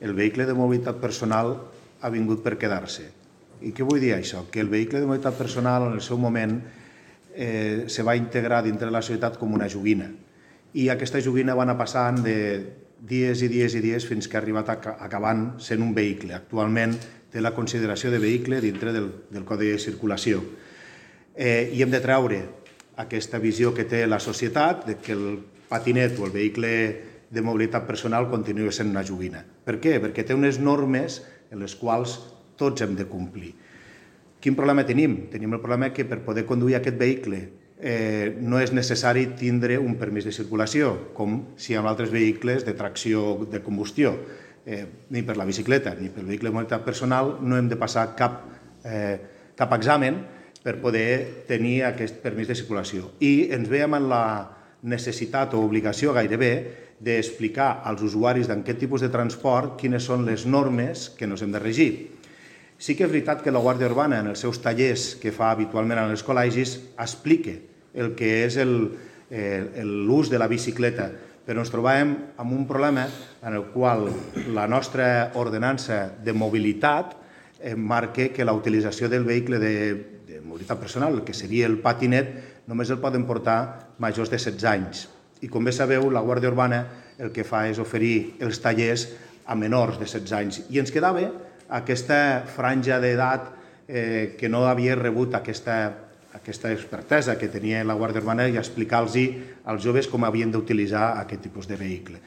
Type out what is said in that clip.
el vehicle de mobilitat personal ha vingut per quedar-se. I què vull dir això? Que el vehicle de mobilitat personal en el seu moment se va integrar dintre de la societat com una joguina. I aquesta joguina va anar passant de dies i dies i dies fins que ha arribat acabant sent un vehicle. Actualment té la consideració de vehicle dintre del Codi de Circulació. I hem de treure aquesta visió que té la societat de que el patinet o el vehicle de mobilitat personal continua sent una joguina. Per què? Perquè té unes normes en les quals tots hem de complir. Quin problema tenim? Tenim el problema que per poder conduir aquest vehicle no és necessari tindre un permís de circulació, com si amb altres vehicles de tracció de combustió. Ni per la bicicleta ni pel vehicle de mobilitat personal no hem de passar cap examen per poder tenir aquest permís de circulació. I ens veiem en la necessitat o obligació gairebé d'explicar als usuaris d'aquest tipus de transport quines són les normes que ens hem de regir. Sí que és veritat que la Guàrdia Urbana, en els seus tallers que fa habitualment en els col·legis, explica el que és l'ús de la bicicleta, però ens trobàvem amb un problema en el qual la nostra ordenança de mobilitat marca que la utilització del vehicle de mobilitat personal, que seria el patinet, només el poden portar majors de 16 anys. I com bé sabeu, la Guàrdia Urbana el que fa és oferir els tallers a menors de 16 anys. I ens quedava aquesta franja d'edat que no havia rebut aquesta expertesa que tenia la Guàrdia Urbana i explicar-los als joves com havien d'utilitzar aquest tipus de vehicle.